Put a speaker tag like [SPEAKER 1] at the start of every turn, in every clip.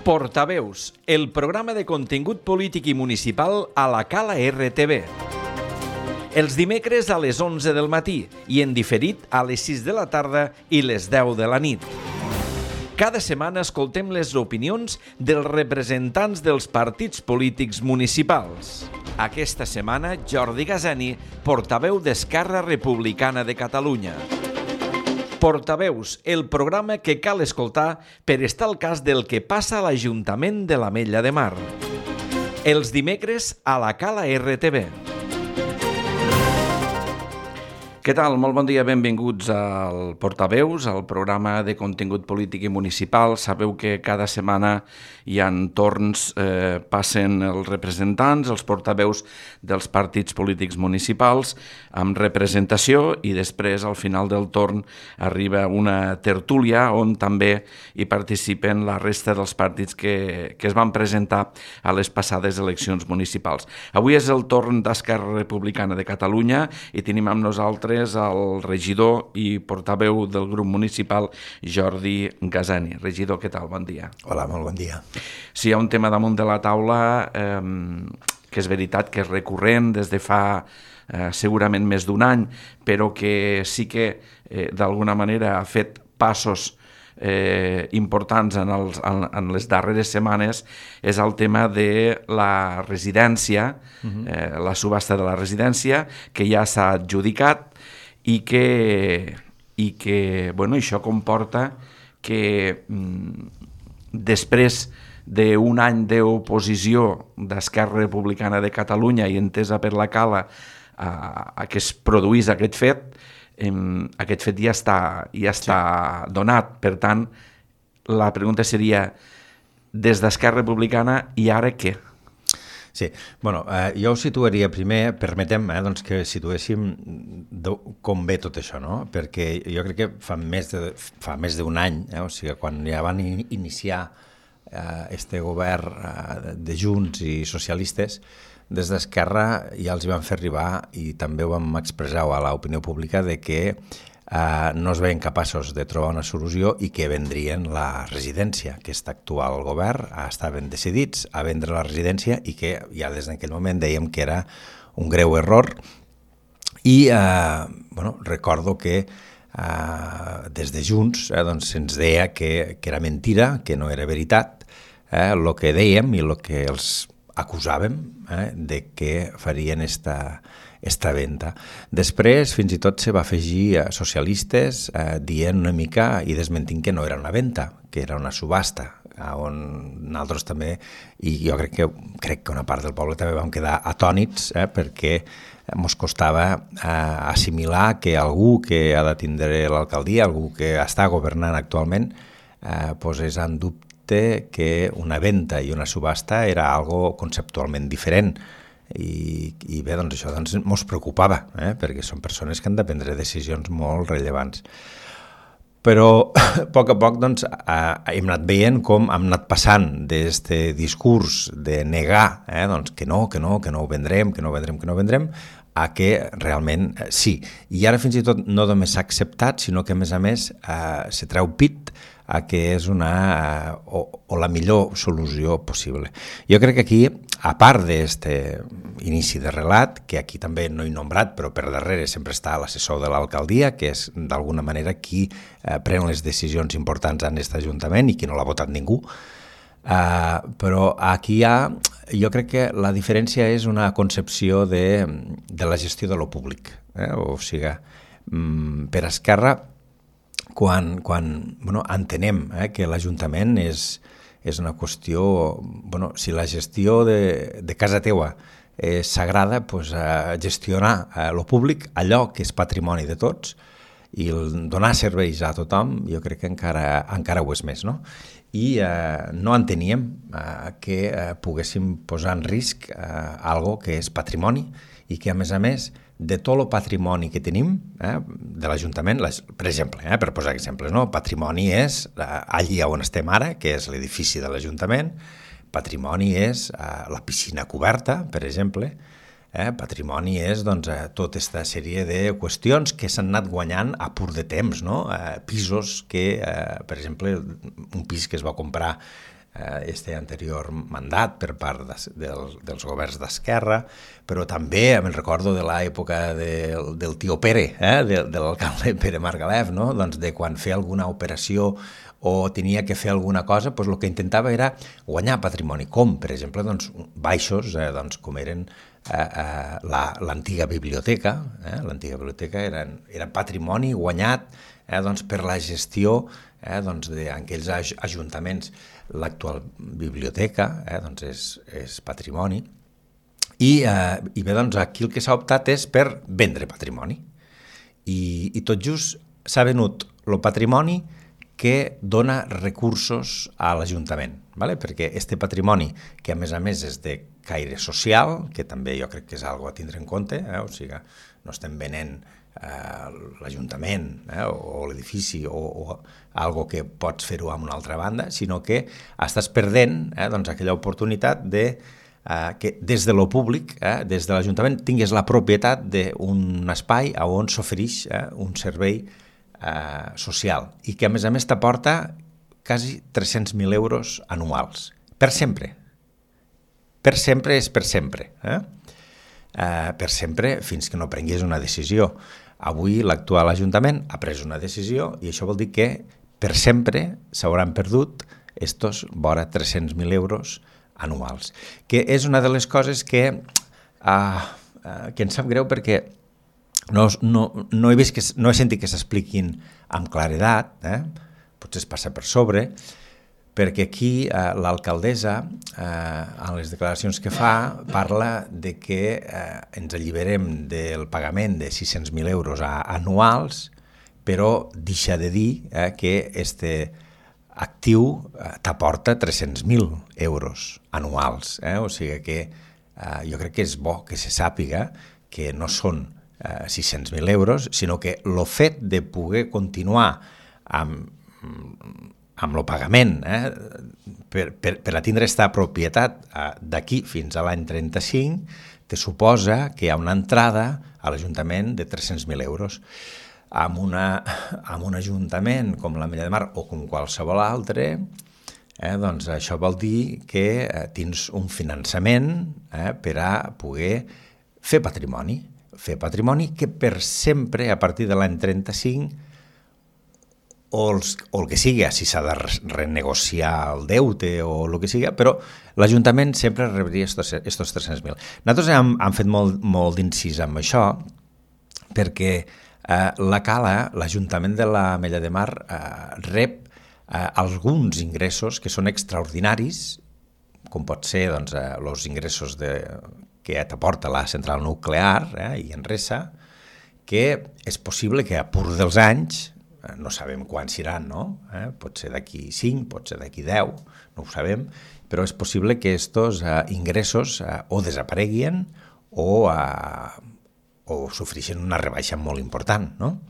[SPEAKER 1] Portaveus, el programa de contingut polític i municipal a la Cala RTV. Els dimecres a les 11 del matí i en diferit a les 6 de la tarda i les 10 de la nit. Cada setmana escoltem les opinions dels representants dels partits polítics municipals. Aquesta setmana, Jordi Gazani, portaveu d'Esquerra Republicana de Catalunya. Portaveus, el programa que cal escoltar per estar al cas del que passa a l'Ajuntament de l'Ametlla de Mar. Els dimecres a la Cala RTV. Què tal? Molt bon dia, benvinguts al Portaveus, al programa de contingut polític i municipal. Sabeu que cada setmana hi ha torns, passen els representants, els portaveus dels partits polítics municipals amb representació i després al final del torn arriba una tertúlia on també hi participen la resta dels partits que es van presentar a les passades eleccions municipals. Avui és el torn d'Esquerra Republicana de Catalunya i tenim amb nosaltres el regidor i portaveu del grup municipal, Jordi Gazani. Regidor, què tal? Bon dia.
[SPEAKER 2] Hola, molt bon dia.
[SPEAKER 1] Sí, hi ha un tema damunt de la taula que és veritat que és recurrent des de fa segurament més d'un any, però que sí que d'alguna manera ha fet passos importants en les darreres setmanes, és el tema de la residència, la subhasta de la residència, que ja s'ha adjudicat i que això comporta que després d'un any d'oposició d'Esquerra Republicana de Catalunya i entesa per la Cala a que es produís aquest fet ja està donat. Per tant, la pregunta seria, des d'Esquerra Republicana, i ara què?
[SPEAKER 2] Sí, bueno, jo ho situaria primer, permetem que situéssim com ve tot això, no? Perquè jo crec que fa més d'un any, o sigui, quan ja van iniciar este govern de Junts i socialistes, des d'Esquerra ja els van fer arribar i també ho vam expressar a l'opinió pública de que no es veien capaços de trobar una solució i que vendrien la residència. Aquest actual govern estaven decidits a vendre la residència i que ja des d'aquell moment dèiem que era un greu error i recordo que des de Junts se'ns deia que era mentira, que no era veritat el que dèiem i el que els acusàvem de que farien esta venda. Després, fins i tot, se va afegir a socialistes dient una mica i desmentint que no era una venda, que era una subhasta, on nosaltres també, i jo crec que una part del poble també vam quedar atònits perquè ens costava assimilar que algú que ha de tindre l'alcaldia, algú que està governant actualment, posés en dubte que una venda i una subhasta era algo conceptualment diferent i bé, doncs això ens preocupava, perquè són persones que han de prendre decisions molt rellevants. Però a poc hem anat veient com hem anat passant d'aquest discurs de negar que no ho vendrem, a que realment sí. I ara fins i tot no només s'ha acceptat, sinó que a més se treu pit a que és la millor solució possible. Jo crec que aquí, a part d'aquest inici de relat, que aquí també no he nombrat, però per darrere sempre està l'assessor de l'alcaldia, que és d'alguna manera qui pren les decisions importants en aquest ajuntament i qui no l'ha votat ningú, però aquí jo crec que la diferència és una concepció de la gestió de lo públic. O sigui, per Esquerra, quan entenem que l'Ajuntament és una qüestió, si la gestió de casa teua és sagrada, gestionar lo públic, allò que és patrimoni de tots, i donar serveis a tothom, jo crec que encara ho és més, no? I no enteníem que poguéssim posar en risc algo que és patrimoni i que, a més, de tot el patrimoni que tenim de l'Ajuntament, per exemple, per posar exemples, patrimoni és allà on estem ara, que és l'edifici de l'Ajuntament, patrimoni és la piscina coberta, per exemple, patrimoni és tota aquesta sèrie de qüestions que s'han anat guanyant a pur de temps, pisos que, per exemple, un pis que es va comprar anterior mandat per part dels governs d'esquerra, però també me'n recordo de l'època del tio Pere, de l'alcalde Pere Margalef, no? Doncs de quan feia alguna operació o tenia que fer alguna cosa, doncs el que intentava era guanyar patrimoni, com per exemple baixos, com eren l'antiga biblioteca. L'antiga biblioteca era patrimoni guanyat per la gestió d'aquells ajuntaments. L'actual biblioteca és patrimoni i bé, aquí el que s'ha optat és per vendre patrimoni i tot just s'ha venut el patrimoni que dona recursos a l'Ajuntament, perquè este patrimoni, que a més és de caire social, que també jo crec que és algo a tindre en compte, o sigui, no estem venent l'Ajuntament o l'edifici o algo que pots fer-ho amb una altra banda, sinó que estàs perdent aquella oportunitat que des de lo públic, des de l'Ajuntament, tingues la propietat d'un espai on s'ofereix un servei social i que a més t'aporta quasi 300.000 euros anuals, per sempre. Per sempre és per sempre. Per sempre fins que no prengués una decisió. Avui l'actual Ajuntament ha pres una decisió i això vol dir que per sempre s'hauran perdut estos vora 300.000 euros anuals, que és una de les coses que em sap greu perquè no he vist no he sentit que s'expliquin amb claredat, potser es passa per sobre, perquè aquí l'alcaldessa, en les declaracions que fa, parla de que ens alliberem del pagament de 600.000 euros anuals, però deixa de dir que este actiu t'aporta 300.000 euros anuals. O sigui que jo crec que és bo que se sàpiga que no són 600.000 euros, sinó que el fet de poder continuar amb el pagament per a tindre aquesta propietat d'aquí fins a l'any 35 te suposa que hi ha una entrada a l'Ajuntament de 300.000 euros. Amb un ajuntament com l'Ametlla de Mar o com qualsevol altre, doncs això vol dir que tens un finançament per a poder fer patrimoni que per sempre, a partir de l'any 35, o el que sigui, si s'ha de renegociar el deute o el que sigui, però l'Ajuntament sempre rebria estos 300.000. Nosaltres hem fet molt d'incís amb això, perquè la Cala, l'Ajuntament de l'Ametlla de Mar, rep alguns ingressos que són extraordinaris, com pot ser els ingressos que t'aporta la central nuclear i Enresa, que és possible que a pur dels anys, no sabem quan seran, no? Pot ser d'aquí 5, pot ser d'aquí 10, no ho sabem, però és possible que estos ingressos o desapareguin o sofreixen una rebaixa molt important, no?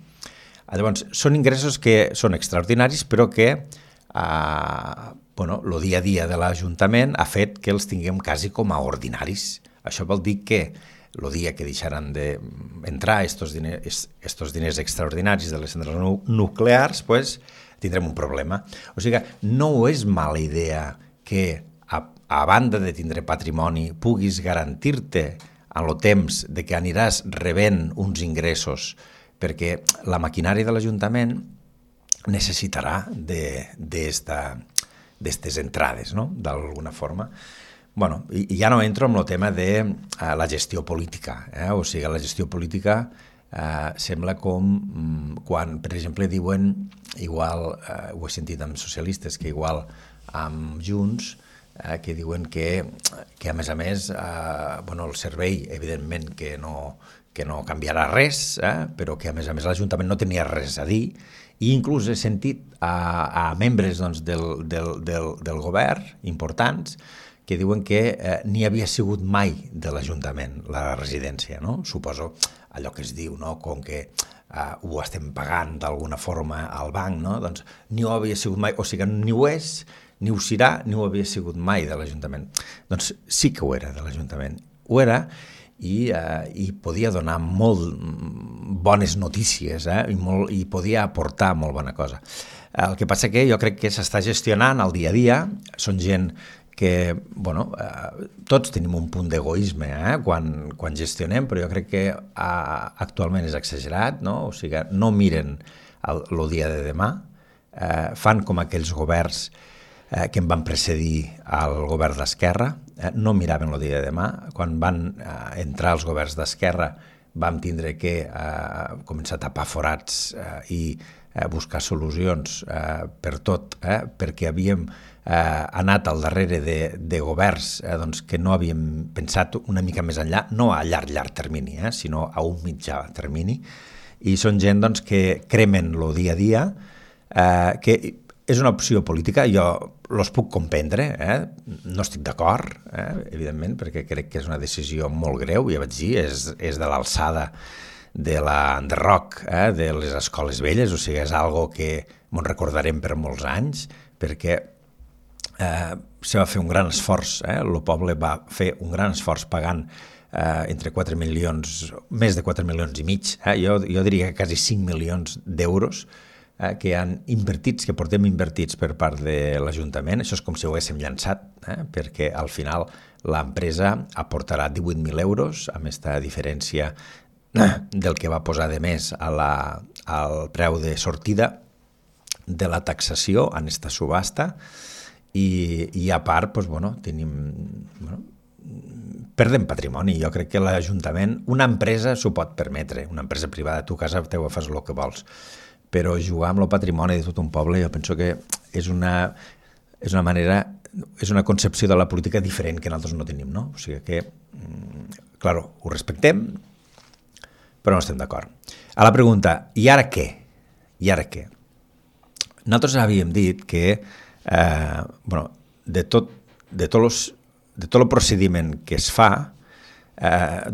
[SPEAKER 2] Llavors, són ingressos que són extraordinaris, però que el dia a dia de l'Ajuntament ha fet que els tinguem quasi com a ordinaris. Això vol dir que el dia que deixaran d'entrar estos diners extraordinaris de les centrals nuclears, pues, tindrem un problema. O sigui, no és mala idea que, a banda de tindre patrimoni, puguis garantir-te en el temps de que aniràs rebent uns ingressos, perquè la maquinària de l'Ajuntament necessitarà d'estes entrades, no?, d'alguna forma. Bueno, i ja no entro en el tema de la gestió política. O sigui, la gestió política sembla com quan, per exemple, diuen, igual, ho he sentit amb socialistes, que igual amb Junts, que diuen que a més, el servei, evidentment, que no canviarà res, però que a més l'Ajuntament no tenia res a dir, i inclús he sentit a membres del govern importants que diuen que ni havia sigut mai de l'Ajuntament la residència, no? Suposo allò que es diu, no?, com que ho estem pagant d'alguna forma al banc, no? Doncs ni ho havia sigut mai, o sigui, ni ho és, ni ho serà, ni ho havia sigut mai de l'Ajuntament. Doncs sí que ho era de l'Ajuntament. Ho era, i podia donar molt bones notícies i podia aportar molt bona cosa. El que passa que jo crec que s'està gestionant el dia a dia, són gent que, tots tenim un punt d'egoisme quan gestionem, però jo crec que actualment és exagerat, no? O sigui, no miren el dia de demà, fan com aquells governs que em van precedir al govern d'Esquerra, no miraven el dia de demà. Quan van entrar els governs d'Esquerra vam tindre que començar a tapar forats i buscar solucions per tot, perquè havíem anat al darrere de governs que no havíem pensat una mica més enllà, no a llarg termini, sinó a un mitjà termini, i són gent que cremen el dia a dia, que és una opció política, jo els puc comprendre, no estic d'acord, evidentment, perquè crec que és una decisió molt greu, ja vaig dir, és de l'alçada de l'enderroc de les escoles velles, o sigui, és algo que ens recordarem per molts anys, perquè se va fer un gran esforç, el poble va fer un gran esforç pagant entre 4 milions, més de 4 milions i mig, jo diria que quasi 5 milions d'euros, que han invertits, que portem invertits per part de l'Ajuntament. Això és com si ho haguéssim llançat, perquè al final l'empresa aportarà 18.000 euros amb aquesta diferència del que va posar de més al preu de sortida de la taxació en aquesta subhasta, i a part perdem patrimoni. Jo crec que l'Ajuntament, una empresa s'ho pot permetre, una empresa privada, tu a casa teva fas el que vols, però jugar amb el patrimoni de tot un poble jo penso que és una manera, és una concepció de la política diferent que nosaltres no tenim, no? O sigui que, clar, ho respectem, però no estem d'acord. A la pregunta, i ara què? I ara què? Nosaltres havíem dit que de tot el procediment que es fa,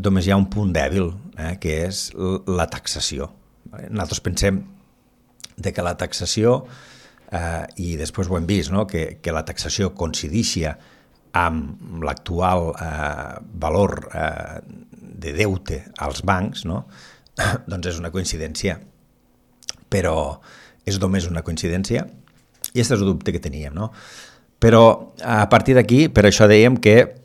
[SPEAKER 2] només hi ha un punt dèbil, que és la taxació. Nosaltres pensem que la taxació, i després ho hem vist, no? que la taxació coincideixi amb l'actual valor de deute als bancs, no? Doncs és una coincidència, però és només una coincidència, i aquest és el dubte que teníem, no? Però a partir d'aquí, per això dèiem que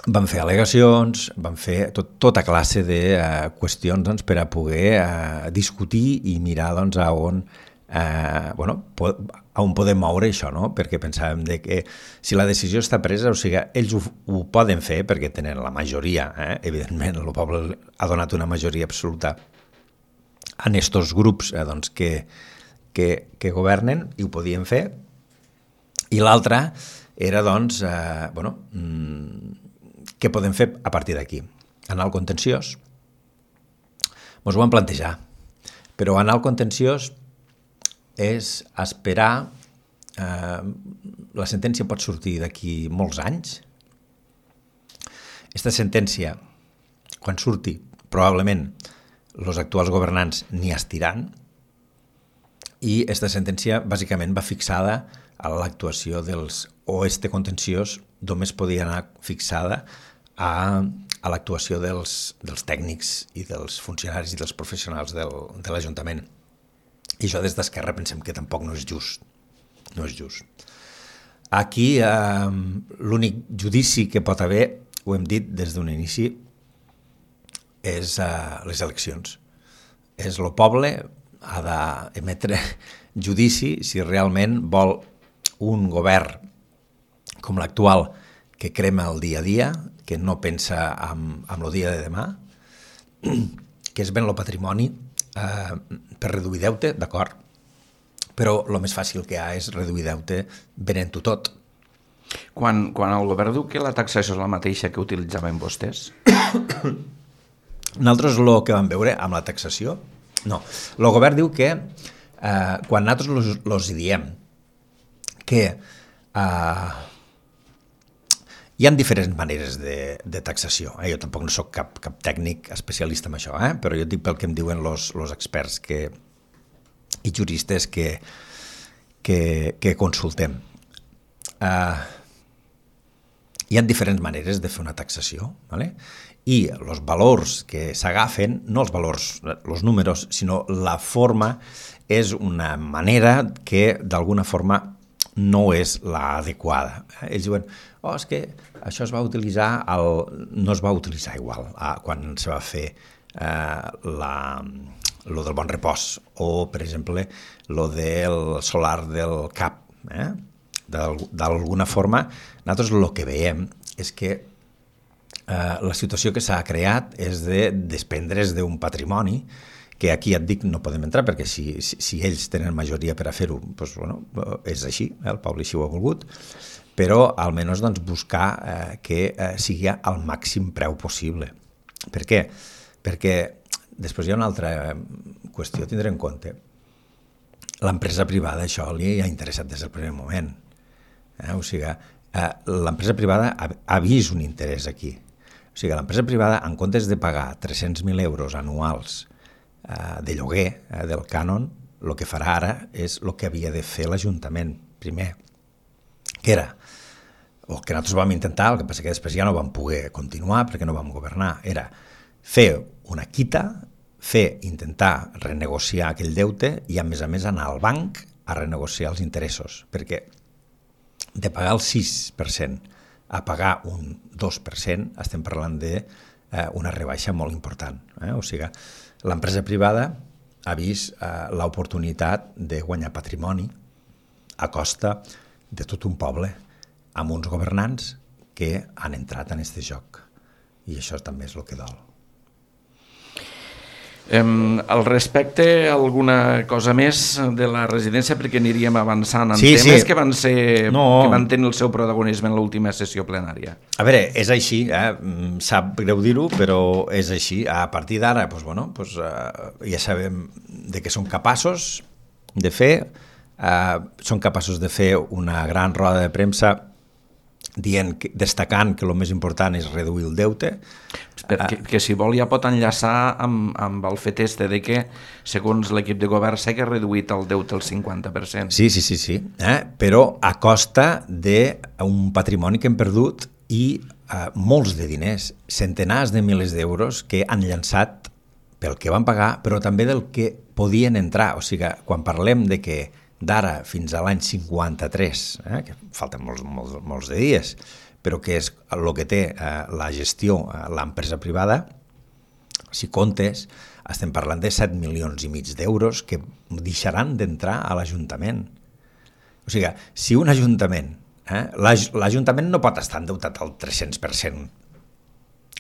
[SPEAKER 2] vam fer al·legacions, vam fer tota classe de qüestions per a poder discutir i mirar a on podem moure això, no? Perquè pensàvem que si la decisió està presa, o sigui, ells ho poden fer perquè tenen la majoria, evidentment, el poble ha donat una majoria absoluta en aquests grups que governen i ho podien fer, i l'altra era, què podem fer a partir d'aquí? Anar al contenciós? Ens ho vam plantejar, però anar al contenciós és esperar, la sentència pot sortir d'aquí molts anys. Aquesta sentència, quan surti, probablement els actuals governants n'hi estiran, i aquesta sentència bàsicament va fixada a l'actuació este contenciós només podia anar fixada a l'actuació dels tècnics i dels funcionaris i dels professionals de l'Ajuntament. I això des d'Esquerra pensem que tampoc no és just. No és just. Aquí l'únic judici que pot haver, ho hem dit des d'un inici, és les eleccions. És el poble ha d'emetre judici si realment vol un govern com l'actual que crema el dia a dia, que no pensa en el dia de demà, que es ven el patrimoni per reduir deute, d'acord, però el més fàcil que hi ha és reduir deute venent-ho tot.
[SPEAKER 1] Quan el govern diu que la taxació és la mateixa que utilitzaven vostès?
[SPEAKER 2] Nosaltres el que vam veure amb la taxació, no. El govern diu que quan nosaltres els diem que hi ha diferents maneres de taxació. Jo tampoc no soc cap tècnic especialista en això, però jo dic pel que em diuen els experts i juristes que consultem. hi ha diferents maneres de fer una taxació, ¿vale? I els valors que s'agafen, no els valors, els números, sinó la forma, és una manera que d'alguna forma no és l'adequada. Ells diuen, és que això es va utilitzar, no es va utilitzar igual quan se va fer lo del Bon Repòs o, per exemple, lo del solar del CAP. D'alguna forma, nosaltres el que veiem és que la situació que s'ha creat és de desprendre's d'un patrimoni que aquí et dic no podem entrar perquè si ells tenen majoria per a fer-ho, doncs, bueno, és així, el poble així ho ha volgut, però almenys doncs, buscar que sigui al màxim preu possible. Per què? Perquè després hi ha una altra qüestió a tindre en compte. L'empresa privada això li ha interessat des del primer moment. O sigui, l'empresa privada ha vist un interès aquí. O sigui, l'empresa privada, en comptes de pagar 300.000 euros anuals de lloguer del cànon, el que farà ara és el que havia de fer l'Ajuntament primer, que era, o que nosaltres vam intentar, el que passa que després ja no vam poder continuar perquè no vam governar, era fer una quita, intentar renegociar aquell deute i a més anar al banc a renegociar els interessos, perquè de pagar el 6% a pagar un 2% estem parlant d'una rebaixa molt important. O sigui, l'empresa privada ha vist l'oportunitat de guanyar patrimoni a costa de tot un poble amb uns governants que han entrat en aquest joc. I això també és el que dol.
[SPEAKER 1] Al respecte, alguna cosa més de la residència, perquè aniríem avançant en temes que van tenir el seu protagonisme en l'última sessió plenària.
[SPEAKER 2] A veure, és així, sap greu dir-ho, però és així. A partir d'ara, ja sabem de què són capaços de fer. Són capaços de fer una gran roda de premsa destacant que el més important és reduir el deute.
[SPEAKER 1] Que si vol ja pot enllaçar amb el fet de que, segons l'equip de govern, s'ha reduït el deute al 50%.
[SPEAKER 2] Sí. Però a costa d'un patrimoni que hem perdut i molts de diners, centenars de milers d'euros que han llançat pel que van pagar, però també del que podien entrar. O sigui, quan parlem de que d'ara fins a l'any 53, que falten molts de dies, però que és el que té la gestió, l'empresa privada, si comptes, estem parlant de 7,5 milions d'euros que deixaran d'entrar a l'Ajuntament. O sigui, si un Ajuntament, l'Ajuntament no pot estar endeutat al 300%,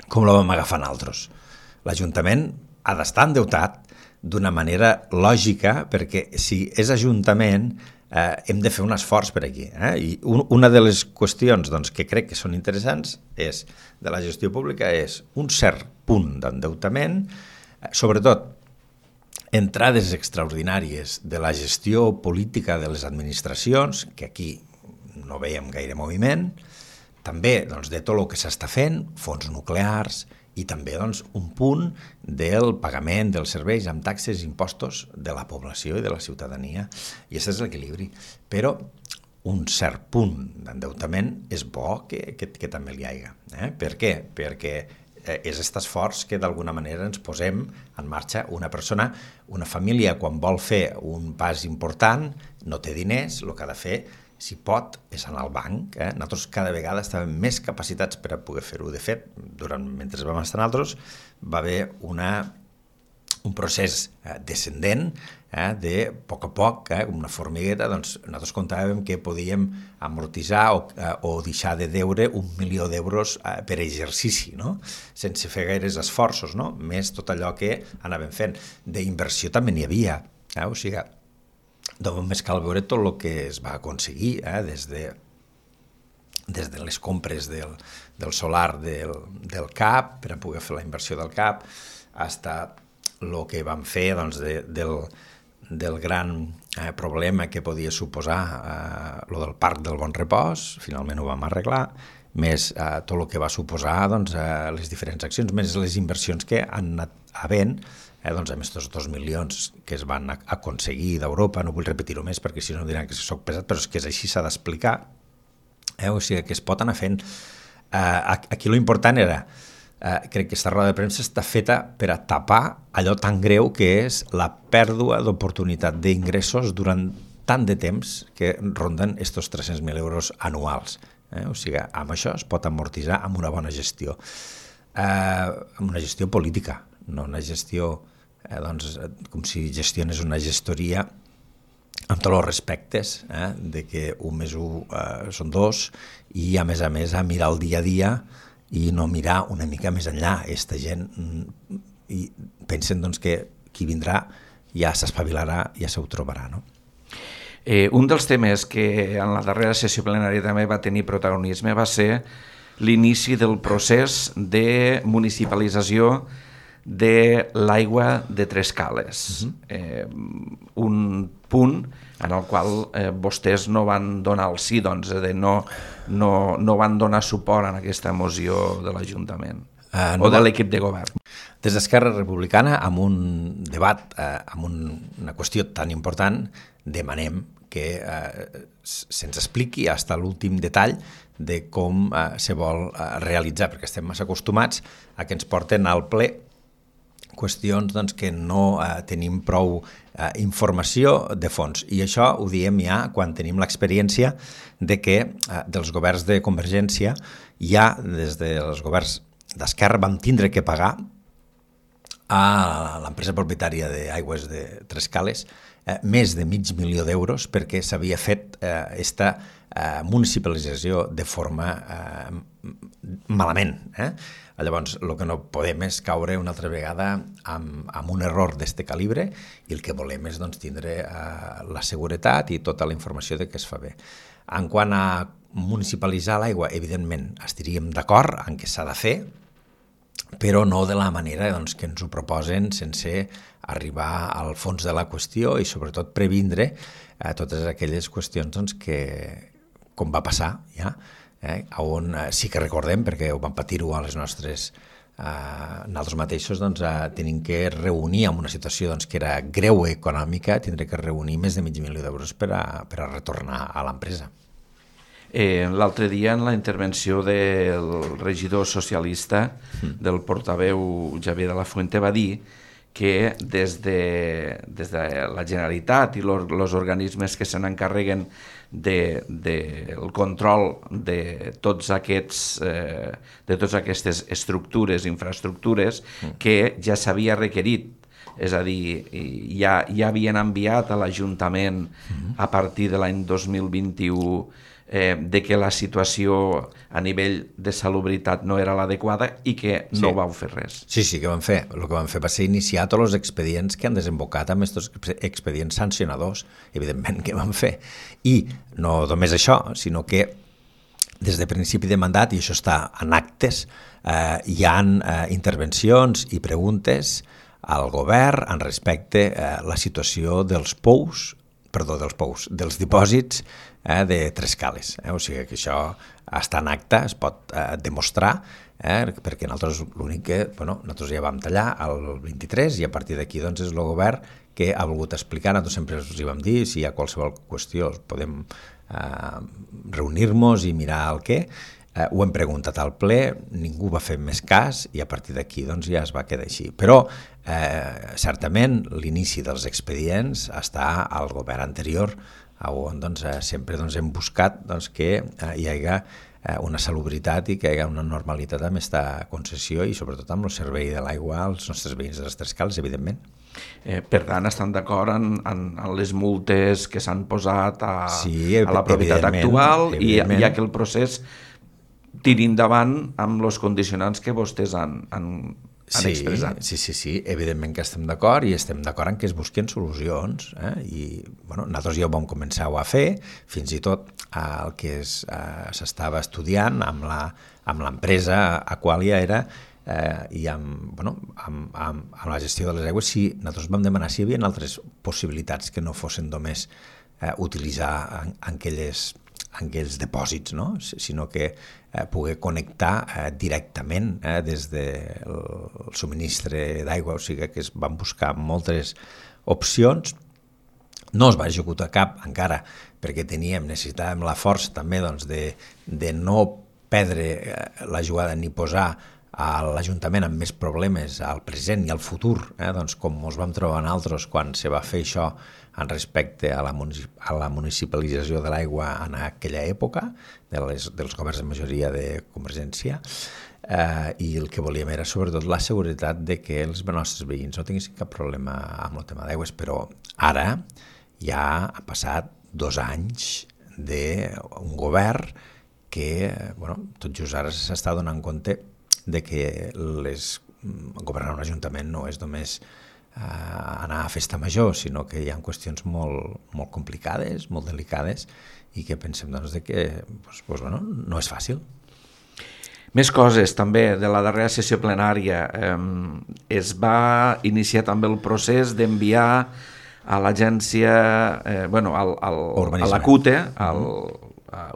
[SPEAKER 2] com la vam agafar nosaltres. L'Ajuntament ha d'estar endeutat d'una manera lògica, perquè si és Ajuntament hem de fer un esforç per aquí. I una de les qüestions que crec que són interessants de la gestió pública és un cert punt d'endeutament, sobretot entrades extraordinàries de la gestió política de les administracions, que aquí no veiem gaire moviment, també de tot el que s'està fent, fons nuclears, i també un punt del pagament dels serveis amb taxes i impostos de la població i de la ciutadania. I aquest és l'equilibri. Però un cert punt d'endeutament és bo que també li hagi. Per què? Perquè és aquest esforç que d'alguna manera ens posem en marxa. Una persona, una família, quan vol fer un pas important, no té diners, el que ha de fer, si pot, és anar al banc. Nosaltres cada vegada estàvem més capacitats per a poder fer-ho. De fet, mentre vam estar nosaltres, va haver un procés descendent, de a poc, com una formigueta, nosaltres comptàvem que podíem amortitzar o deixar de deure 1 milió d'euros per exercici, sense fer gaires esforços, més tot allò que anàvem fent. D'inversió també n'hi havia, o sigui, només cal veure tot el que es va aconseguir des de les compres del solar del CAP per a poder fer la inversió del CAP fins el que vam fer del gran problema que podia suposar el del Parc del Bon Repòs, finalment ho vam arreglar, més tot el que va suposar les diferents accions, més les inversions que han anat havent, amb aquests 2 milions que es van aconseguir d'Europa. No vull repetir-ho més perquè si no diran que soc pesat, però és que és així, s'ha d'explicar. O sigui, que es pot anar fent. Aquí l'important era, crec que aquesta roda de premsa està feta per a tapar allò tan greu que és la pèrdua d'oportunitat d'ingressos durant tant de temps que ronden estos 300.000 euros anuals. O sigui, amb això es pot amortitzar amb una bona gestió. Amb una gestió política, no una gestió com si gestiones una gestoria amb tots els respectes, de que 1 més 1 són 2 i a més a mirar el dia a dia i no mirar una mica més enllà. Esta gent i pensen que qui vindrà ja s'espavilarà, ja s'ho trobarà, no?
[SPEAKER 1] Un dels temes que en la darrera sessió plenària també va tenir protagonisme va ser l'inici del procés de municipalització de l'aigua de Trescales. Un punt en el qual vostès no van donar el sí, doncs, no van donar suport en aquesta moció de l'Ajuntament o de l'equip de govern.
[SPEAKER 2] Des d'Esquerra Republicana, amb un debat, amb una qüestió tan important, demanem que se'ns expliqui fins a l'últim detall de com se vol realitzar, perquè estem massa acostumats a que ens porten al ple qüestions que no tenim prou informació de fons. I això ho diem ja quan tenim l'experiència de que dels governs de Convergència ja des dels governs d'Esquerra vam tindre que pagar a l'empresa propietària d'Aigües de Trescales més de $500.000 d'euros perquè s'havia fet aquesta municipalització de forma malament. Llavors, el que no podem és caure una altra vegada amb un error d'aquest calibre i el que volem és tindre la seguretat i tota la informació de que es fa bé. En quant a municipalitzar l'aigua, evidentment, estaríem d'acord en què s'ha de fer, però no de la manera que ens ho proposen sense arribar al fons de la qüestió i sobretot previndre totes aquelles qüestions que, com va passar ja, on sí que recordem, perquè ho vam patir-ho a les nostres nosaltres mateixos, tenim que reunir en una situació que era greu econòmica, tindré que reunir més de $500.000 d'euros per a retornar a l'empresa.
[SPEAKER 1] L'altre dia, en la intervenció del regidor socialista, del portaveu Javier de la Fuente, va dir que des de la Generalitat i els organismes que se n'encarreguen del control de totes aquestes estructures, infraestructures, que ja s'havia requerit, és a dir, ja havien enviat a l'Ajuntament a partir de l'any 2021 de que la situació a nivell de salubritat no era l'adequada i que no vau fer res.
[SPEAKER 2] Sí, que vam fer. El que vam fer va ser iniciar tots els expedients que han desembocat amb aquests expedients sancionadors, evidentment que vam fer. I no només això, sinó que des de principi de mandat, i això està en actes, hi ha intervencions i preguntes al govern en respecte a la situació dels dipòsits de Trescales. O sigui que això està en acte, es pot demostrar, perquè nosaltres l'únic que nosaltres ja vam tallar el 23 i a partir d'aquí és el govern que ha volgut explicar. Nosaltres sempre us hi vam dir, si hi ha qualsevol qüestió podem reunir-nos i mirar el què. Ho hem preguntat al ple, ningú va fer més cas i a partir d'aquí ja es va quedar així. Però certament l'inici dels expedients està al govern anterior, on sempre hem buscat que hi hagi una salubritat i que hi hagi una normalitat amb aquesta concessió i sobretot amb el servei de l'aigua als nostres veïns de les Trescales, evidentment.
[SPEAKER 1] Per tant, estan d'acord en les multes que s'han posat a la propietat actual i ja que el procés tiri endavant amb els condicionants que vostès han expressat.
[SPEAKER 2] Sí, evidentment que estem d'acord i estem d'acord en que es busquen solucions i nosaltres ja ho vam començar a fer, fins i tot el que s'estava estudiant amb l'empresa Aqualia era i amb la gestió de les aigües, si nosaltres vam demanar si hi havia altres possibilitats que no fossin només utilitzar aquells dipòsits, sinó que poder connectar directament des del subministre d'aigua, o sigui que es van buscar moltes opcions. No es va executar cap encara perquè necessitàvem la força també de no perdre la jugada ni posar a l'Ajuntament amb més problemes al present i al futur, doncs com ens vam trobar nosaltres quan se va fer això en respecte a la municipalització de l'aigua en aquella època, dels governs de majoria de Convergència, i el que volíem era sobretot la seguretat de que els nostres veïns no tinguessin cap problema amb el tema d'aigües, però ara ja ha passat 2 anys d'un govern que, tot just ara s'està donant compte de que governar un ajuntament no és només anar a festa major, sinó que hi ha qüestions molt complicades, molt delicades, i que pensem de que no és fàcil.
[SPEAKER 1] Més coses també de la darrera sessió plenària. Es va iniciar també el procés d'enviar a l'agència, a la CUTE, al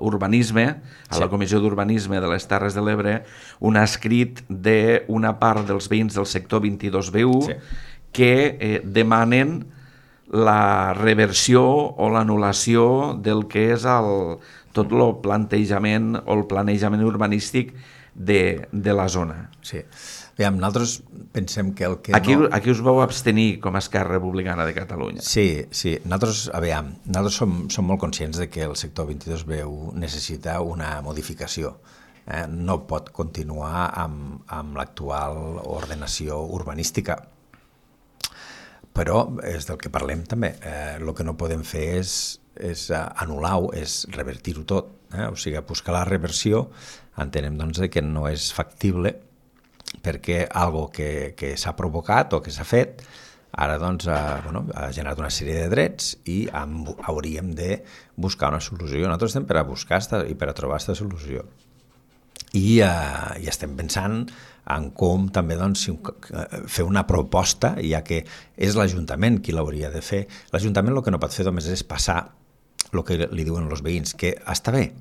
[SPEAKER 1] urbanisme, a la Comissió d'Urbanisme de les Terres de l'Ebre, un escrit d'una part dels veïns del sector 22B1 que demanen la reversió o l'anul·lació del que és tot el plantejament o el planejament urbanístic de la zona.
[SPEAKER 2] Sí. Aviam, nosaltres pensem que el que
[SPEAKER 1] aquí us vau abstenir com a Esquerra Republicana de Catalunya.
[SPEAKER 2] Sí. Nosaltres som molt conscients de que el sector 22B1 necessita una modificació. No pot continuar amb l'actual ordenació urbanística. Però és del que parlem també. El que no podem fer és anul·lar-ho, és revertir-ho tot. O sigui, buscar la reversió entenem que no és factible perquè algo que s'ha provocat o que s'ha fet ara ha generat una sèrie de drets i hauríem de buscar una solució. Nosaltres estem per a buscar i per a trobar aquesta solució. I estem pensant en com també fer una proposta, ja que és l'Ajuntament qui l'hauria de fer. L'Ajuntament el que no pot fer només és passar el que li diuen els veïns, que està bé,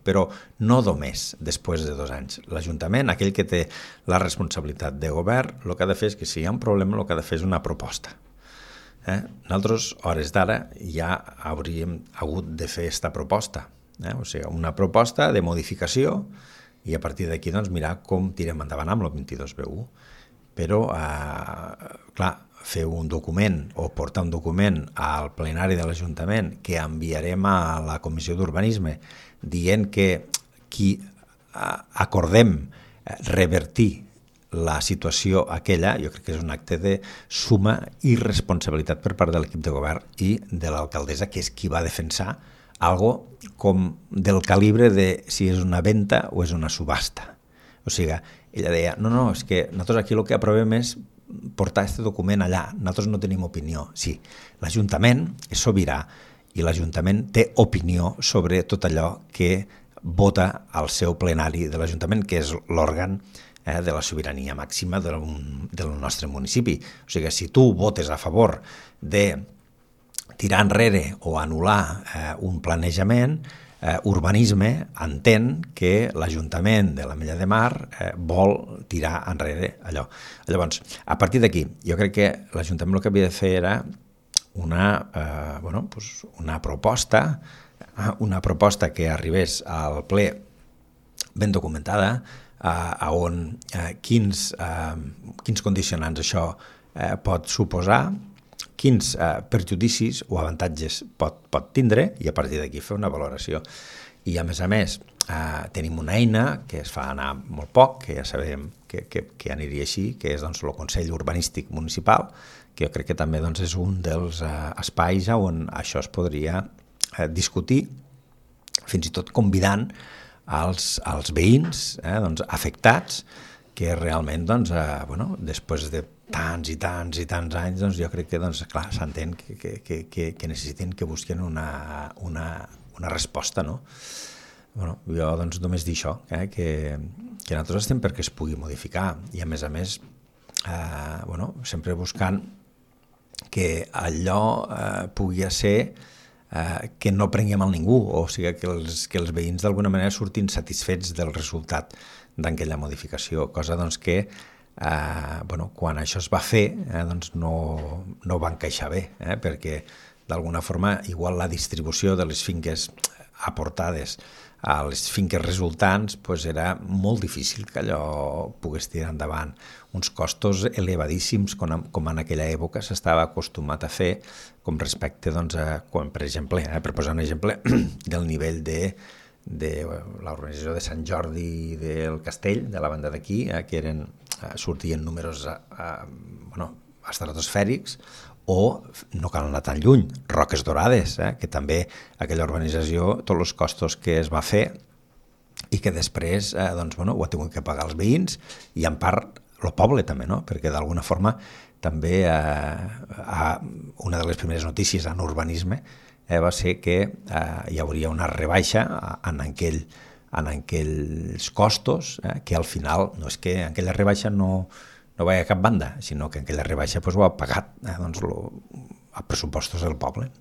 [SPEAKER 2] però no només després de 2 anys. L'Ajuntament, aquell que té la responsabilitat de govern, el que ha de fer és que si hi ha un problema, el que ha de fer és una proposta. Nosaltres, a hores d'ara, ja hauríem hagut de fer aquesta proposta. O sigui, una proposta de modificació i a partir d'aquí mirar com tirem endavant amb el 22B1. Però, clar, fer un document o portar un document al plenari de l'Ajuntament que enviarem a la Comissió d'Urbanisme dient que qui acordem revertir la situació aquella, jo crec que és un acte de suma irresponsabilitat per part de l'equip de govern i de l'alcaldessa, que és qui va defensar algo com del calibre de si és una venda o és una subhasta. O sigui, ella deia, no, és que nosaltres aquí el que aprovem és portar aquest document allà, nosaltres no tenim opinió. Sí, l'Ajuntament és sobirà i l'Ajuntament té opinió sobre tot allò que vota al seu plenari de l'Ajuntament, que és l'òrgan de la sobirania màxima del nostre municipi. O sigui, si tu votes a favor de tirar enrere o anul·lar un planejament, Urbanisme entén que l'Ajuntament de l'Ametlla de Mar vol tirar enrere allò. Llavors, a partir d'aquí, jo crec que l'Ajuntament el que havia de fer era una proposta que arribés al ple ben documentada, on quins condicionants això pot suposar, quins perjudicis o avantatges pot tindre i a partir d'aquí fer una valoració. I a més, tenim una eina que es fa anar molt poc, que ja sabem que aniria així, que és el Consell Urbanístic Municipal, que jo crec que també és un dels espais on això es podria discutir, fins i tot convidant als veïns afectats, que realment, després de tants i tants anys, jo crec que, clar, s'entén que necessiten que busquen una resposta, no? Jo, només dir això, que nosaltres estem perquè es pugui modificar i, a més, sempre buscant que allò pugui ser que no prenguem mal ningú, o sigui, que els veïns d'alguna manera surtin satisfets del resultat d'aquella modificació, cosa que quan això es va fer no va encaixar bé, perquè d'alguna forma igual la distribució de les finques aportades a les finques resultants, doncs era molt difícil que allò pogués tirar endavant. Uns costos elevadíssims, com en aquella època s'estava acostumat a fer, com respecte, doncs, quan, per exemple, per posar un exemple, del nivell de l'organització de Sant Jordi del Castell, de la banda d'aquí, que sortien números estratosfèrics, o no cal anar tan lluny, Roques Dorades, que també aquella organització, tots els costos que es va fer i que després ho ha tingut que pagar els veïns i en part el poble també, no? Perquè d'alguna forma també una de les primeres notícies en urbanisme va ser que hi hauria una rebaixa en aquells costos, que al final no és que aquella rebaixa no va a cap banda, sinó que aquella rebaixa ho ha pagat a pressupostos del poble.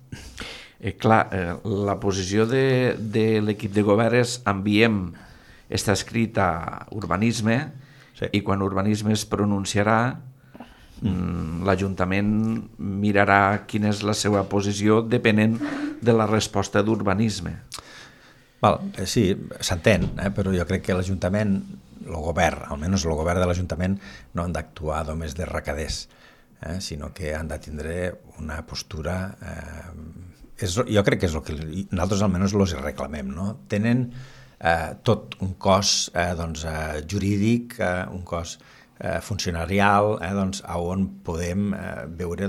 [SPEAKER 1] La posició de l'equip de govern és enviem, està escrit a urbanisme, sí. I quan urbanisme es pronunciarà, l'Ajuntament mirarà quina és la seva posició depenent de la resposta d'urbanisme.
[SPEAKER 2] Sí, s'entén, però jo crec que l'Ajuntament, el govern, almenys el govern de l'Ajuntament, no han d'actuar només de recaders, sinó que han de tindre una postura... Jo crec que és el que nosaltres almenys els reclamem, no? Tenen tot un cos jurídic, un cos funcionarial, on podem veure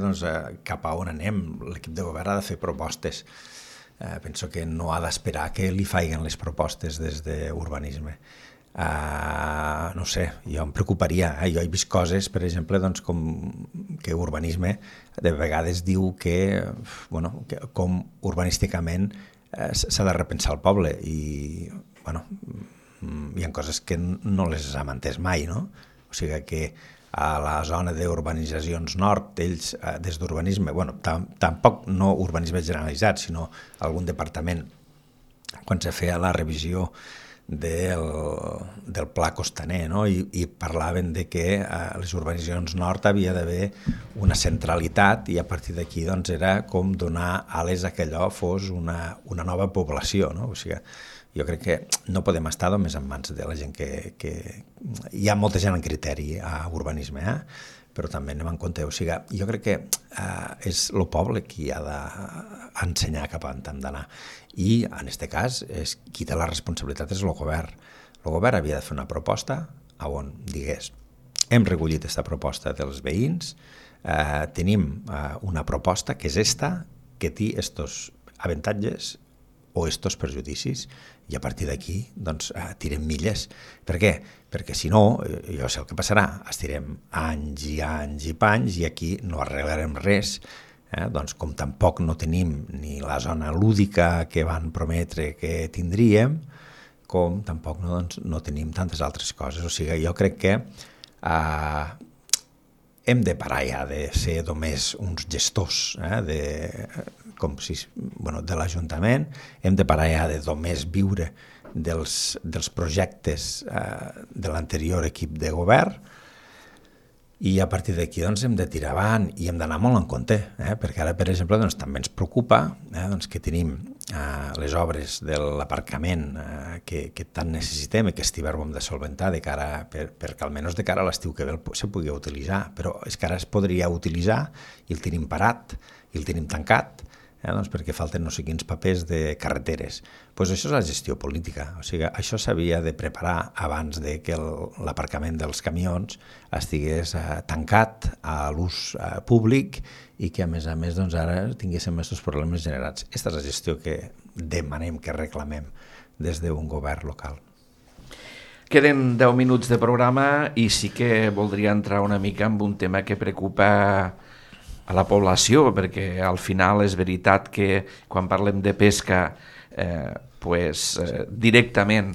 [SPEAKER 2] cap a on anem. L'equip de govern ha de fer propostes. Penso que no ha d'esperar que li faiguen les propostes des d'urbanisme. No sé, jo em preocuparia. Jo he vist coses, per exemple, com que urbanisme de vegades diu que com urbanísticament s'ha de repensar el poble i hi ha coses que no les hem entès mai, no? O sigui que a la zona d'urbanitzacions nord, ells des d'urbanisme, tampoc no urbanisme generalitzat, sinó algun departament, quan se feia la revisió del pla costaner, no? I parlaven de que a les urbanitzacions nord havia d'haver una centralitat i a partir d'aquí era com donar ales a que allò fos una nova població, no? O sigui, jo crec que no podem estar només en mans de la gent que... Hi ha molta gent en criteri a urbanisme, però també anem en compte. O sigui, jo crec que és el poble qui ha d'ensenyar cap a on hem d'anar. I, en aquest cas, qui té la responsabilitat és el govern. El govern havia de fer una proposta on digués hem recollit aquesta proposta dels veïns, tenim una proposta que és esta, que té estos avantatges o estos perjudicis, i a partir d'aquí tirem milles. Per què? Perquè si no, jo sé el que passarà, estirem anys i anys i panys i aquí no arreglarem res, com tampoc no tenim ni la zona lúdica que van prometre que tindríem, com tampoc no tenim tantes altres coses. O sigui, jo crec que hem de parar ja de ser només uns gestors de l'Ajuntament, hem de parar ja de només viure dels projectes de l'anterior equip de govern i a partir d'aquí hem de tirar avant i hem d'anar molt en compte, perquè ara, per exemple, també ens preocupa que tenim les obres de l'aparcament que tant necessitem i que aquest hivern ho hem de solventar perquè almenys de cara a l'estiu que ve se pugui utilitzar, però és que ara es podria utilitzar i el tenim parat i el tenim tancat, perquè falten no sé quins papers de carreteres. Doncs això és la gestió política. O sigui, això s'havia de preparar abans de que l'aparcament dels camions estigués tancat a l'ús públic i que, a més, ara tinguéssim aquests problemes generats. Aquesta és la gestió que demanem, que reclamem des d'un govern local.
[SPEAKER 1] Queden 10 minuts de programa i sí que voldria entrar una mica en un tema que preocupa a la població, perquè al final és veritat que quan parlem de pesca directament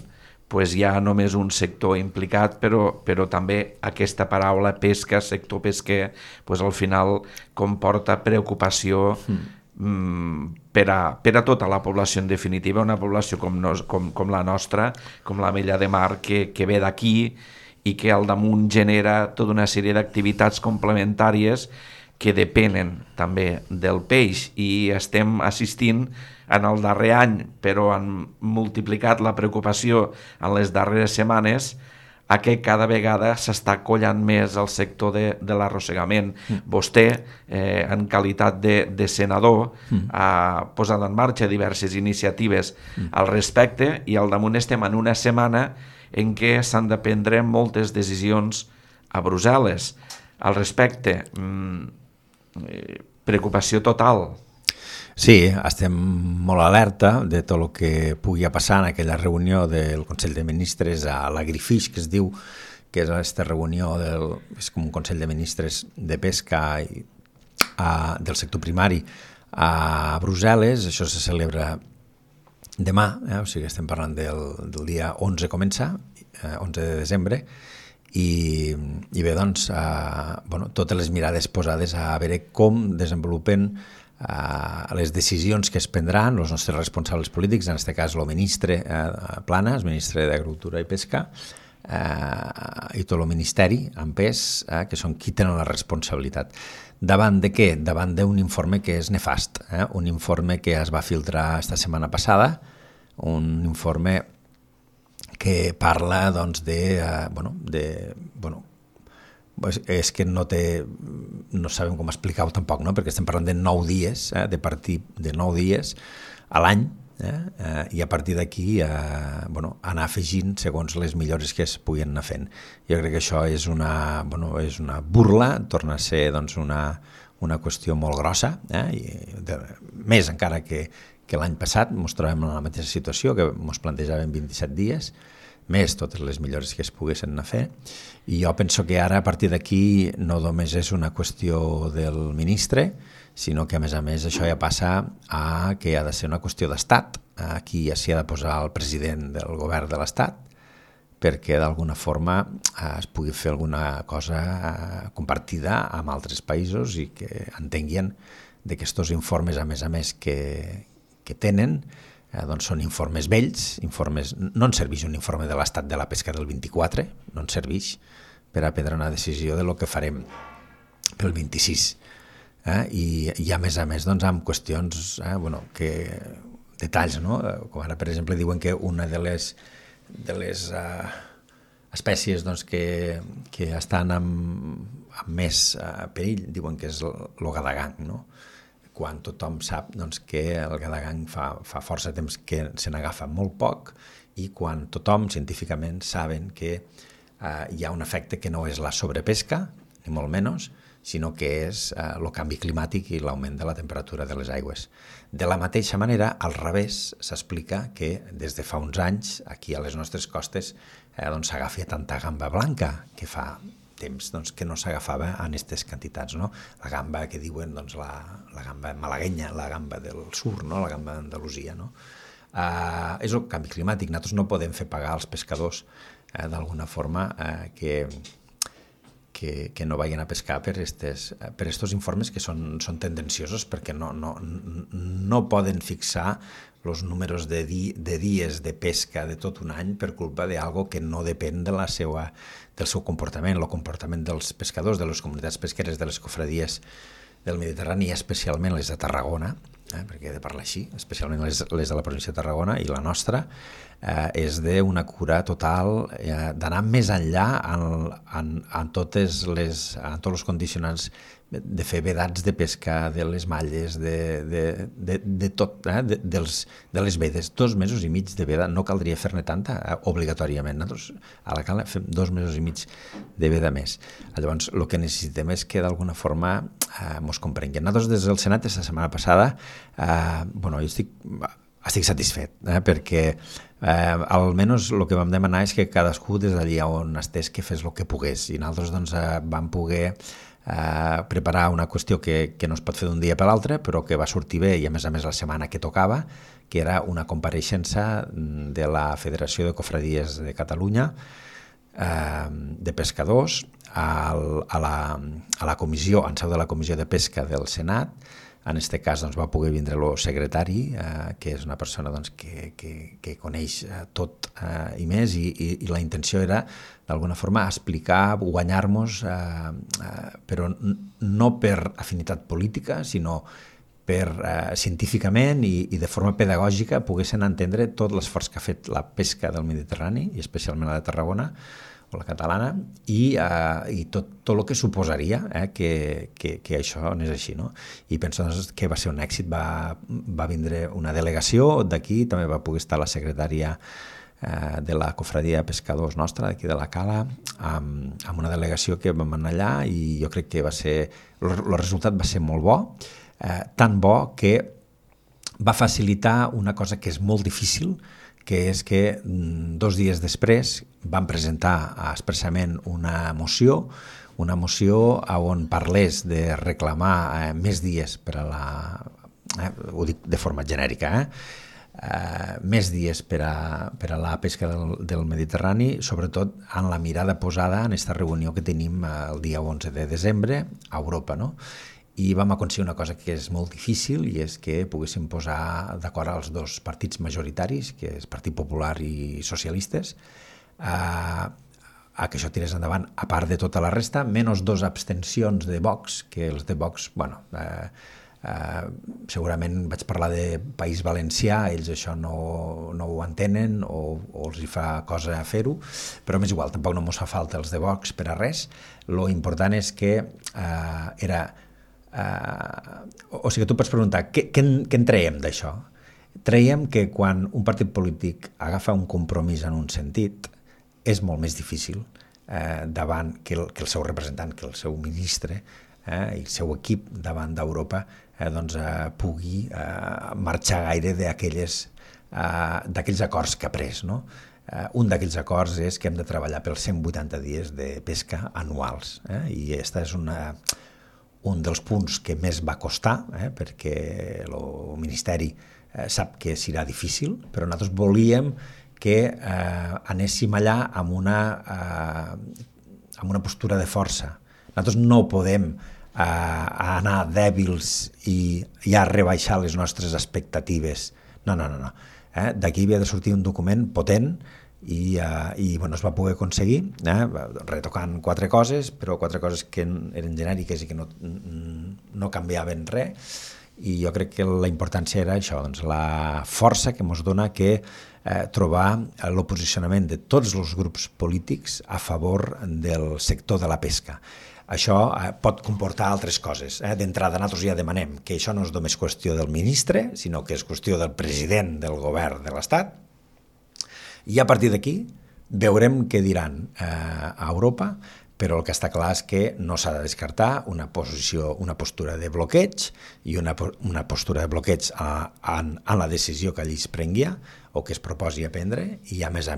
[SPEAKER 1] hi ha només un sector implicat, però també aquesta paraula pesca, sector pesquer, al final comporta preocupació per a tota la població, en definitiva, una població com la nostra, com l'Ametlla de Mar, que ve d'aquí i que al damunt genera tota una sèrie d'activitats complementàries que depenen també del peix, i estem assistint en el darrer any, però han multiplicat la preocupació en les darreres setmanes, a que cada vegada s'està collant més el sector de l'arrossegament. Vostè, en qualitat de senador, ha posat en marxa diverses iniciatives al respecte, i al damunt estem en una setmana en què s'han de prendre moltes decisions a Brussel·les. Al respecte, preocupació total.
[SPEAKER 2] Sí, estem molt alerta de tot el que pugui passar en aquella reunió del Consell de Ministres a l'Agrifish, que es diu, que és aquesta reunió és com un Consell de Ministres de Pesca del sector primari a Brussel·les. Això se celebra demà, o sigui, estem parlant del dia 11 comença, 11 de desembre, i bé, doncs, totes les mirades posades a veure com desenvolupen les decisions que es prendran els nostres responsables polítics, en aquest cas el ministre Planas, ministre d'Agricultura i Pesca, i tot el ministeri en pes, que són qui tenen la responsabilitat. Davant de què? Davant d'un informe que és nefast, un informe que es va filtrar esta setmana passada, un informe que parla doncs, és que no sabem com explicar-ho tampoc, no? Perquè estem parlant de 9 dies, de partir de 9 dies a l'any, i a partir d'aquí anar afegint segons les millores que es puguin anar fent. Jo crec que això és una burla, torna a ser doncs, una qüestió molt grossa, més encara que l'any passat ens trobem en la mateixa situació, que ens plantejaven 27 dies, més totes les millores que es poguessin anar a fer. I jo penso que ara, a partir d'aquí, no només és una qüestió del ministre, sinó que, a més, això ja passa a que ha de ser una qüestió d'estat. Aquí ja s'hi ha de posar el president del govern de l'estat, perquè d'alguna forma es pugui fer alguna cosa compartida amb altres països i que entenguin que aquests informes, a més, que tenen, doncs són informes vells, no ens serveix un informe de l'estat de la pesca del 24, no ens serveix per a prendre una decisió de lo que farem pel 26. I a més, doncs, amb qüestions, detalls, no? Com ara, per exemple, diuen que una de les espècies doncs, que estan amb més perill, diuen que és el gadagang, no? Quan tothom sap doncs, que el gadagang fa força temps que se n'agafa molt poc, i quan tothom científicament saben que hi ha un efecte que no és la sobrepesca, ni molt menys, sinó que és el canvi climàtic i l'augment de la temperatura de les aigües. De la mateixa manera, al revés, s'explica que des de fa uns anys, aquí a les nostres costes, s'agafa tanta gamba blanca, que fa temps que no s'agafava en aquestes quantitats, no? La gamba que diuen la gamba malaguenya, la gamba del sur, no? La gamba d'Andalusia, no? És el canvi climàtic. Nosaltres no podem fer pagar als pescadors d'alguna forma que no vagin a pescar per estos informes que són tendenciosos, perquè no poden fixar els números de dies de pesca de tot un any per culpa d'algo que no depèn del seu comportament, el comportament dels pescadors, de les comunitats pesqueres, de les cofradies del Mediterrani, especialment les de Tarragona, perquè he de parlar així, especialment les de la província de Tarragona i la nostra, és d'una cura total, d'anar més enllà en tots els condicionants, de fer vedats de pesca, de les malles, de tot, de les vedes. 2 mesos i mig de veda, no caldria fer-ne tanta obligatòriament. Nosaltres a la cala fem 2 mesos i mig de veda més. Llavors, el que necessitem és que d'alguna forma ens comprenguin. Nosaltres des del Senat, aquesta setmana passada, jo estic satisfet, perquè almenys el que vam demanar és que cadascú des d'allà on estés que fes el que pogués, i nosaltres vam poder preparar una qüestió que no es pot fer d'un dia per l'altre, però que va sortir bé, i a més la setmana que tocava, que era una compareixença de la Federació de Cofradies de Catalunya, de pescadors, a la comissió, en seu de la Comissió de Pesca del Senat, En aquest cas va poder vindre el secretari, que és una persona que coneix tot i més, i la intenció era d'alguna forma explicar, guanyar-nos, però no per afinitat política, sinó per científicament i de forma pedagògica poguessin entendre tot l'esforç que ha fet la pesca del Mediterrani, i especialment la de Tarragona, o la catalana, i tot el que suposaria que això anés així, no? I penso que va ser un èxit. Va vindre una delegació d'aquí, també va poder estar la secretària de la cofradia de pescadors nostra, d'aquí de la Cala, amb una delegació que vam anar allà, i jo crec que el resultat va ser molt bo, tan bo que va facilitar una cosa que és molt difícil, que és que 2 dies després van presentar expressament una moció on parlés de reclamar més dies per a la... ho dic de forma genèrica, més dies per a la pesca del Mediterrani, sobretot en la mirada posada en aquesta reunió que tenim el dia 11 de desembre a Europa, no? I vam aconseguir una cosa que és molt difícil, i és que poguéssim posar d'acord els 2 partits majoritaris, que és Partit Popular i Socialistes, a que això tirés endavant, a part de tota la resta, menys 2 abstencions de Vox, que els de Vox, segurament vaig parlar de País Valencià, ells això no ho entenen o els hi fa cosa fer-ho, però m'és igual, tampoc no mos fa falta els de Vox per a res. Lo important és que era... o sigui, tu pots preguntar, què en traiem d'això? Traiem que quan un partit polític agafa un compromís en un sentit, és molt més difícil davant que el seu representant, que el seu ministre i el seu equip davant d'Europa pugui marxar gaire d'aquells acords que ha pres, no? Un d'aquells acords és que hem de treballar pels 180 dies de pesca anuals, i aquesta és un dels punts que més va costar, perquè el Ministeri sap que serà difícil, però nosaltres volíem que anéssim allà amb una postura de força. Nosaltres no podem anar dèbils i ja rebaixar les nostres expectatives. No. D'aquí havia de sortir un document potent, i es va poder aconseguir, retocant 4 coses, però 4 coses que eren genèriques i que no canviaven res, i jo crec que la importància era això, la força que ens dona que trobar el posicionament de tots els grups polítics a favor del sector de la pesca. Això pot comportar altres coses. D'entrada, nosaltres ja demanem que això no és només qüestió del ministre, sinó que és qüestió del president del govern de l'Estat, i a partir d'aquí veurem què diran a Europa, però el que està clar és que no s'ha de descartar una postura de bloqueig i una postura de bloqueig en la decisió que allí es prengui o que es proposi a prendre, i a més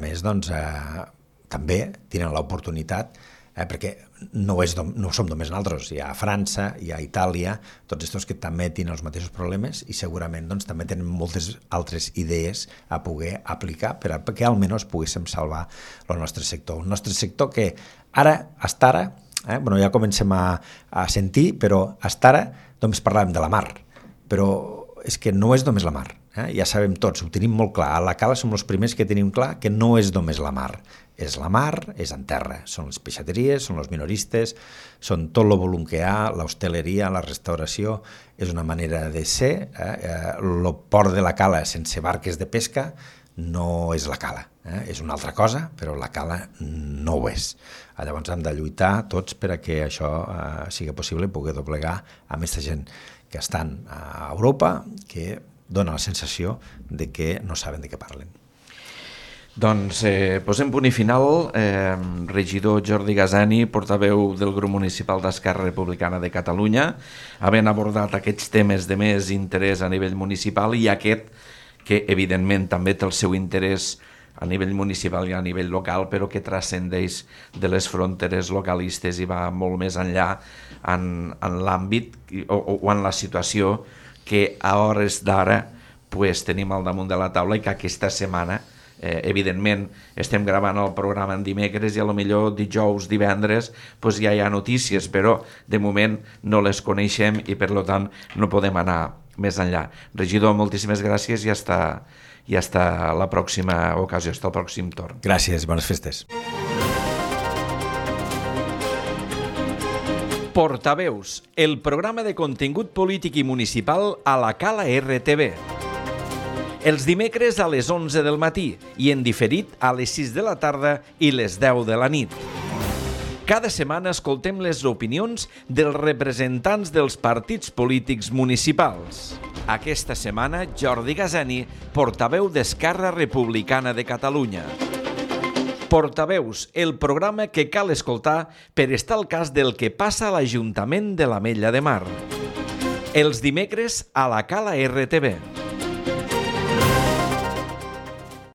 [SPEAKER 2] també tenen l'oportunitat, perquè no som només nosaltres, hi ha França, hi ha Itàlia, tots aquests que també tenen els mateixos problemes i segurament també tenen moltes altres idees a poder aplicar perquè almenys poguéssim salvar el nostre sector. Un nostre sector que hasta ara, ja comencem a sentir, però hasta ara només parlàvem de la mar, però és que no és només la mar, ja sabem tots, ho tenim molt clar, a la Cala som els primers que tenim clar que no és només la mar, és la mar, és en terra, són les peixateries, són els minoristes, són tot el volum que hi ha, l'hostaleria, la restauració, és una manera de ser, el port de la Cala sense barques de pesca no és la Cala, és una altra cosa, però la Cala no ho és. Llavors hem de lluitar tots per a que això sigui possible, poder doblegar amb aquesta gent que estan a Europa, que dona la sensació de que no saben de què parlen.
[SPEAKER 1] Doncs posem punt i final. Regidor Jordi Gazani, portaveu del grup municipal d'Esquerra Republicana de Catalunya, havent abordat aquests temes de més interès a nivell municipal i aquest que evidentment també té el seu interès a nivell municipal i a nivell local, però que transcendeix de les fronteres localistes i va molt més enllà en l'àmbit o en la situació que a hores d'ara tenim al damunt de la taula i que aquesta setmana Evidentment, estem gravant el programa en dimecres i a lo millor dijous, divendres, doncs ja hi ha notícies, però de moment no les coneixem i per tant no podem anar més enllà. Regidor, moltíssimes gràcies i hasta la pròxima ocasió, hasta el pròxim torn.
[SPEAKER 2] Gràcies, bones festes.
[SPEAKER 1] Portaveus, el programa de contingut polític i municipal a la Cala RTV. Els dimecres a les 11 del matí i en diferit a les 6 de la tarda i les 10 de la nit. Cada setmana escoltem les opinions dels representants dels partits polítics municipals. Aquesta setmana, Jordi Gazani, portaveu d'Esquerra Republicana de Catalunya. Portaveus, el programa que cal escoltar per estar al cas del que passa a l'Ajuntament de l'Ametlla de Mar. Els dimecres a la Cala RTV.